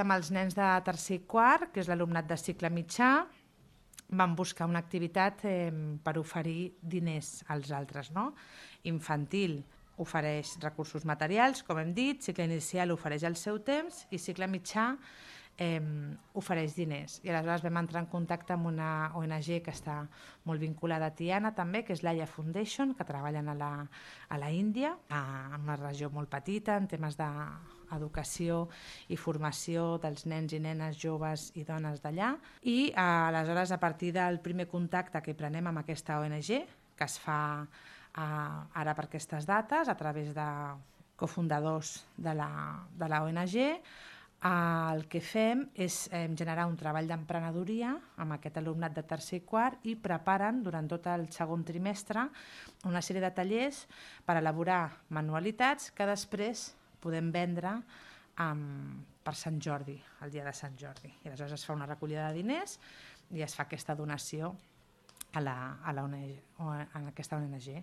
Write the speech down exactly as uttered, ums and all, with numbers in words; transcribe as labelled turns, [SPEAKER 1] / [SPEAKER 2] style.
[SPEAKER 1] Amb els nens de tercer i quart, que és l'alumnat de cicle mitjà, vam buscar una activitat eh, per oferir diners als altres, no? Infantil ofereix recursos materials, com hem dit, cicle inicial ofereix el seu temps i cicle mitjà eh, ofereix diners. I aleshores vam entrar en contacte amb una O N G que està molt vinculada a Tiana també, que és l'Aya Foundation, que treballen a la, a la Índia, a, en una regió molt petita, en temes d'educació i formació dels nens i nenes, joves i dones d'allà. I eh, aleshores, a partir del primer contacte que prenem amb aquesta O N G, que es fa Uh, ara per aquestes dates, a través de cofundadors de la, de la O N G, uh, el que fem és eh, generar un treball d'emprenedoria amb aquest alumnat de tercer i quart i preparen durant tot el segon trimestre una sèrie de tallers per elaborar manualitats que després podem vendre um, per Sant Jordi, el dia de Sant Jordi. I aleshores es fa una recollida de diners i es fa aquesta donació a, la, a, la O N G, a aquesta O N G.